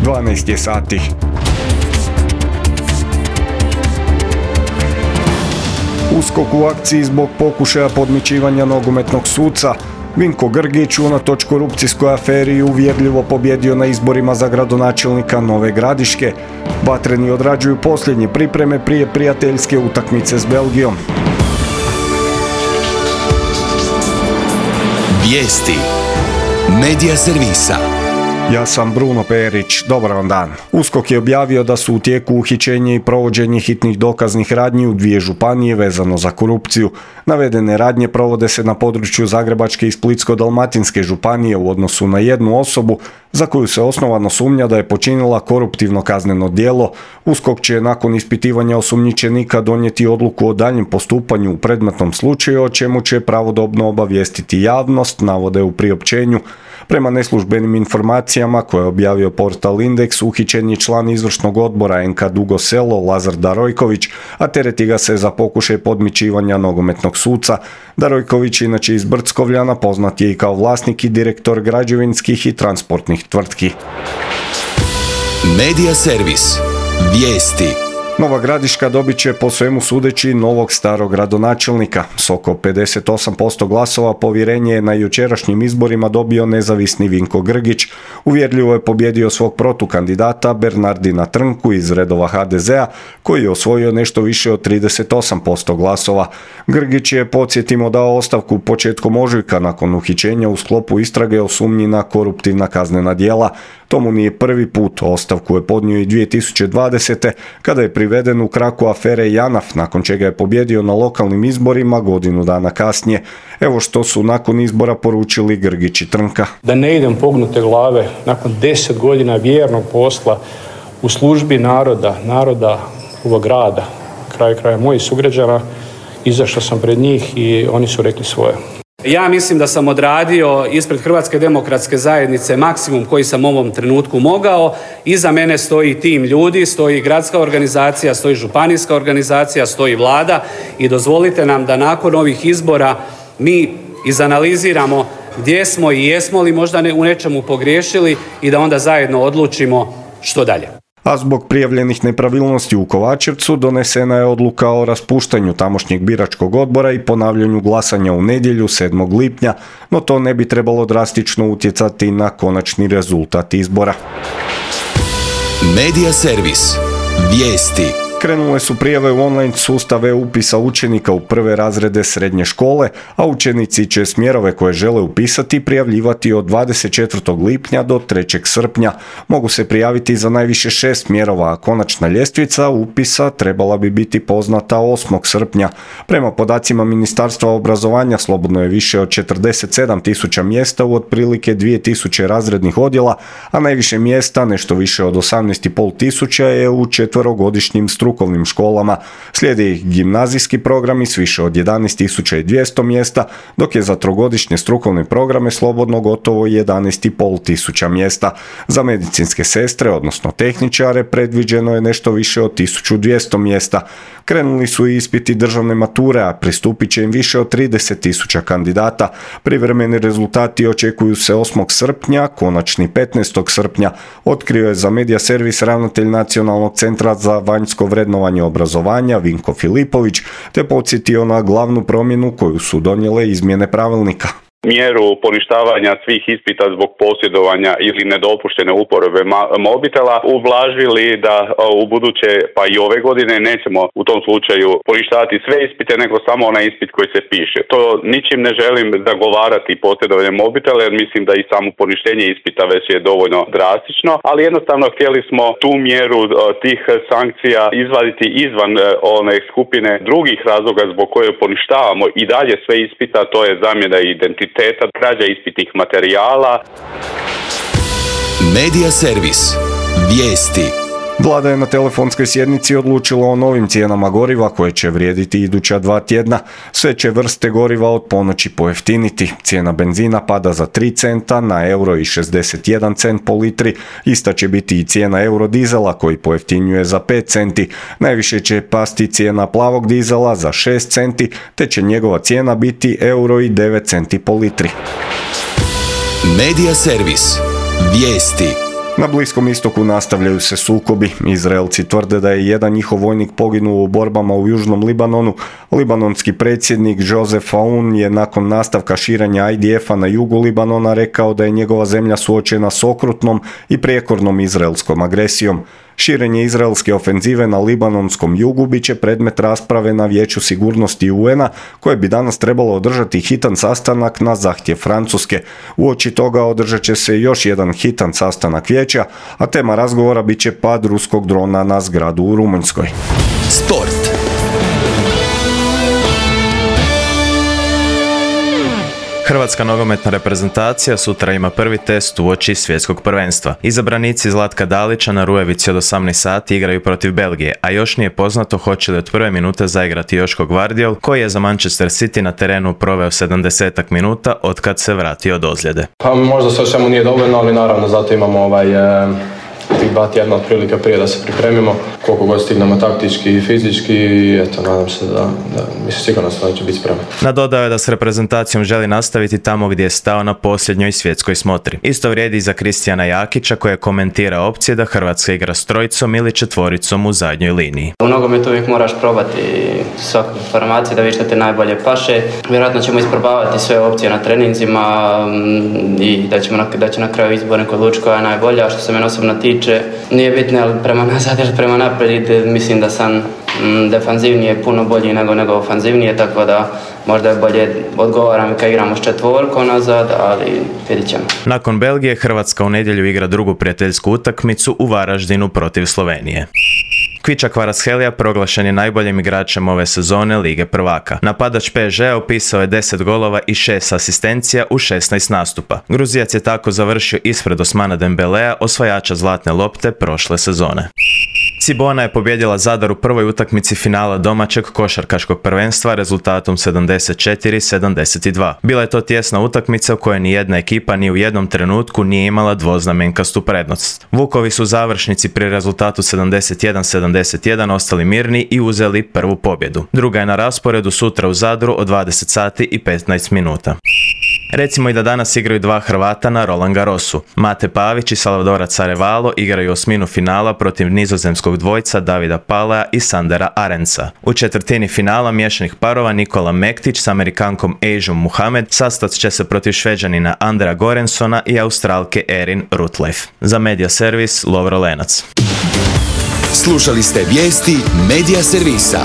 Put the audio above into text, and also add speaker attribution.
Speaker 1: 12 je sati. USKOK u akciji zbog pokušaja podmićivanja nogometnog suca. Vinko Grgić unatoč korupcijskoj aferi uvjerljivo pobjedio na izborima za gradonačelnika Nove Gradiške. Vatreni odrađuju posljednje pripreme prije prijateljske utakmice s Belgijom.
Speaker 2: Vijesti Medija servisa.
Speaker 1: Ja sam Bruno Perić, dobar vam dan. USKOK je objavio da su u tijeku uhićenje i provođenje hitnih dokaznih radnji u 2 županije vezano za korupciju. Navedene radnje provode se na području Zagrebačke i Splitsko-dalmatinske županije u odnosu na jednu osobu za koju se osnovano sumnja da je počinila koruptivno kazneno djelo. USKOK će nakon ispitivanja osumnjičenika donijeti odluku o daljnjem postupanju u predmetnom slučaju, o čemu će pravodobno obavijestiti javnost, navode u priopćenju. Prema neslužbenim informacijama koje je objavio portal Indeks, uhićen je član izvršnog odbora NK Dugo Selo Lazar Darojković, a tereti ga se za pokušaj podmićivanja nogometnog suca. Darojković, inače iz Brckovljana, poznat je i kao vlasnik i direktor građevinskih i transportnih tvrtki.
Speaker 2: Medija servis. Vijesti.
Speaker 1: Nova Gradiška dobit će po svemu sudeći novog starog gradonačelnika. S oko 58% glasova povjerenje je na jučerašnjim izborima dobio nezavisni Vinko Grgić. Uvjerljivo je pobjedio svog protukandidata Bernardina Trnku iz redova HDZ-a, koji je osvojio nešto više od 38% glasova. Grgić je, podsjetimo, dao ostavku početkom ožujka nakon uhićenja u sklopu istrage o sumnji na koruptivna kaznena djela. To mu nije prvi put, ostavku je podnio i 2020. kada je priveden u kraku afere JANAF, nakon čega je pobjedio na lokalnim izborima godinu dana kasnije. Evo što su nakon izbora poručili Grgić i Trnka.
Speaker 3: Da ne idem pognute glave nakon 10 godina vjernog posla u službi naroda ovog grada, kraja mojih sugrađana, izašao sam pred njih i oni su rekli svoje.
Speaker 4: Ja mislim da sam odradio ispred Hrvatske demokratske zajednice maksimum koji sam u ovom trenutku mogao. Iza mene stoji tim ljudi, stoji gradska organizacija, stoji županijska organizacija, stoji vlada i dozvolite nam da nakon ovih izbora mi izanaliziramo gdje smo i jesmo li možda u nečemu pogriješili i da onda zajedno odlučimo što dalje.
Speaker 1: A zbog prijavljenih nepravilnosti u Kovačevcu donesena je odluka o raspuštanju tamošnjeg biračkog odbora i ponavljanju glasanja u nedjelju 7. lipnja, no to ne bi trebalo drastično utjecati na konačni rezultat izbora.
Speaker 2: Medija servis. Vijesti.
Speaker 1: Krenule su prijave u online sustave upisa učenika u prve razrede srednje škole, a učenici će smjerove koje žele upisati prijavljivati od 24. lipnja do 3. srpnja. Mogu se prijaviti za najviše 6 smjerova, a konačna ljestvica upisa trebala bi biti poznata 8. srpnja. Prema podacima Ministarstva obrazovanja slobodno je više od 47.000 mjesta u otprilike 2.000 razrednih odjela, a najviše mjesta, nešto više od 18.500, je u 4-godišnjim strukovnim školama. Slijede ih gimnazijski programi s više od 11.200 mjesta, dok je za 3-godišnje strukovne programe slobodno gotovo 11.500 mjesta. Za medicinske sestre, odnosno tehničare, predviđeno je nešto više od 1.200 mjesta. Krenuli su i ispiti državne mature, a pristupit će im više od 30.000 kandidata. Privremeni rezultati očekuju se 8. srpnja, konačni 15. srpnja, otkrio je za Medija servis ravnatelj Nacionalnog centra za vanjsko vrednovanje obrazovanja Vinko Filipović, te podsjetio na glavnu promjenu koju su donijele izmjene pravilnika.
Speaker 5: Mjeru poništavanja svih ispita zbog posjedovanja ili nedopuštene uporabe mobitela ublažili da u buduće, pa i ove godine, nećemo u tom slučaju poništavati sve ispite, nego samo onaj ispit koji se piše. To ničim ne želim zagovarati posjedovanje mobitela, jer mislim da i samo poništenje ispita već je dovoljno drastično, ali jednostavno htjeli smo tu mjeru tih sankcija izvaditi izvan one skupine drugih razloga zbog koje poništavamo i dalje sve ispita, to je zamjena identiteta, krađa ispitnih materijala.
Speaker 2: Medija servis. Vijesti.
Speaker 1: Vlada je na telefonskoj sjednici odlučila o novim cijenama goriva koje će vrijediti iduća 2 tjedna. Sve će vrste goriva od ponoći pojeftiniti. Cijena benzina pada za 3 centa na euro i 61 cent po litri. Ista će biti i cijena eurodizela koji pojeftinjuje za 5 centi. Najviše će pasti cijena plavog dizela za 6 centi, te će njegova cijena biti euro i 9 centi po litri.
Speaker 2: Medija servis. Vijesti.
Speaker 1: Na Bliskom istoku nastavljaju se sukobi. Izraelci tvrde da je jedan njihov vojnik poginuo u borbama u Južnom Libanonu. Libanonski predsjednik Joseph Aoun je nakon nastavka širenja IDF-a na jugu Libanona rekao da je njegova zemlja suočena s okrutnom i prijekornom izraelskom agresijom. Širenje izraelske ofenzive na libanonskom jugu bit će predmet rasprave na Vijeću sigurnosti UN-a, koje bi danas trebalo održati hitan sastanak na zahtjev Francuske. Uoči toga održat će se još jedan hitan sastanak vijeća, a tema razgovora bit će pad ruskog drona na zgradu u Rumunjskoj.
Speaker 2: Sport.
Speaker 6: Hrvatska nogometna reprezentacija sutra ima prvi test uoči svjetskog prvenstva. Izabranici Zlatka Dalića na Rujevici od 18 sati igraju protiv Belgije, a još nije poznato hoće li od prve minute zaigrati Joško Gvardiol, koji je za Manchester City na terenu proveo 70-ak minuta od kad se vratio od ozljede.
Speaker 7: Pa možda sve o svemu nije dovoljno, ali naravno zato imamo tih 2 tjedna otprilike prije da se pripremimo, koliko god stignemo taktički i fizički, i eto, nadam se da mislim sigurno da će biti spreman.
Speaker 6: Nadodao je da s reprezentacijom želi nastaviti tamo gdje je stao na posljednjoj svjetskoj smotri. Isto vrijedi i za Kristijana Jakića, koji je komentirao opcije da Hrvatska igra s 3 ili 4 u zadnjoj liniji.
Speaker 8: U nogometu uvijek moraš probati svaku formaciju da vidiš što te najbolje paše. Vjerojatno ćemo isprobavati sve opcije na treninzima i da će na kraju izbor neko odlučiti koja je najbolja. Što se mene osobno tiče, nije bitno ali prema nazad ili prema naprijed, mislim da sam defanzivnije puno bolji nego ofanzivnije, tako da možda je bolje odgovaram kad igramo s 4 nazad, ali vidit ćemo.
Speaker 6: Nakon Belgije, Hrvatska u nedjelju igra drugu prijateljsku utakmicu u Varaždinu protiv Slovenije. Kviča Kvaratskhelia proglašen je najboljim igračem ove sezone Lige prvaka. Napadač PSG upisao je 10 golova i 6 asistencija u 16 nastupa. Gruzijac je tako završio ispred Osmana Dembelea, osvajača zlatne lopte prošle sezone. Cibona je pobijedila Zadar u prvoj utakmici finala domaćeg košarkaškog prvenstva rezultatom 74-72. Bila je to tjesna utakmica u kojoj nijedna ekipa ni u jednom trenutku nije imala dvoznamenkastu prednost. Vukovi su u završnici pri rezultatu 71-71 ostali mirni i uzeli prvu pobjedu. Druga je na rasporedu sutra u Zadru od 20 sati i 15 minuta. Recimo i da danas igraju 2 Hrvata na Roland Garrosu. Mate Pavić i Salvadora Carevalo igraju osminu finala protiv nizozemskog dvojca Davida Palea i Sandera Arenca. U četvrtini finala miješanih parova Nikola Mektić s Amerikankom Ejžom Muhamed sastat će se protiv Šveđanina Andrea Gorensona i Australke Erin Rutleif. Za Media Servis, Lovro Lenac.
Speaker 2: Slušali ste vijesti Media Servisa.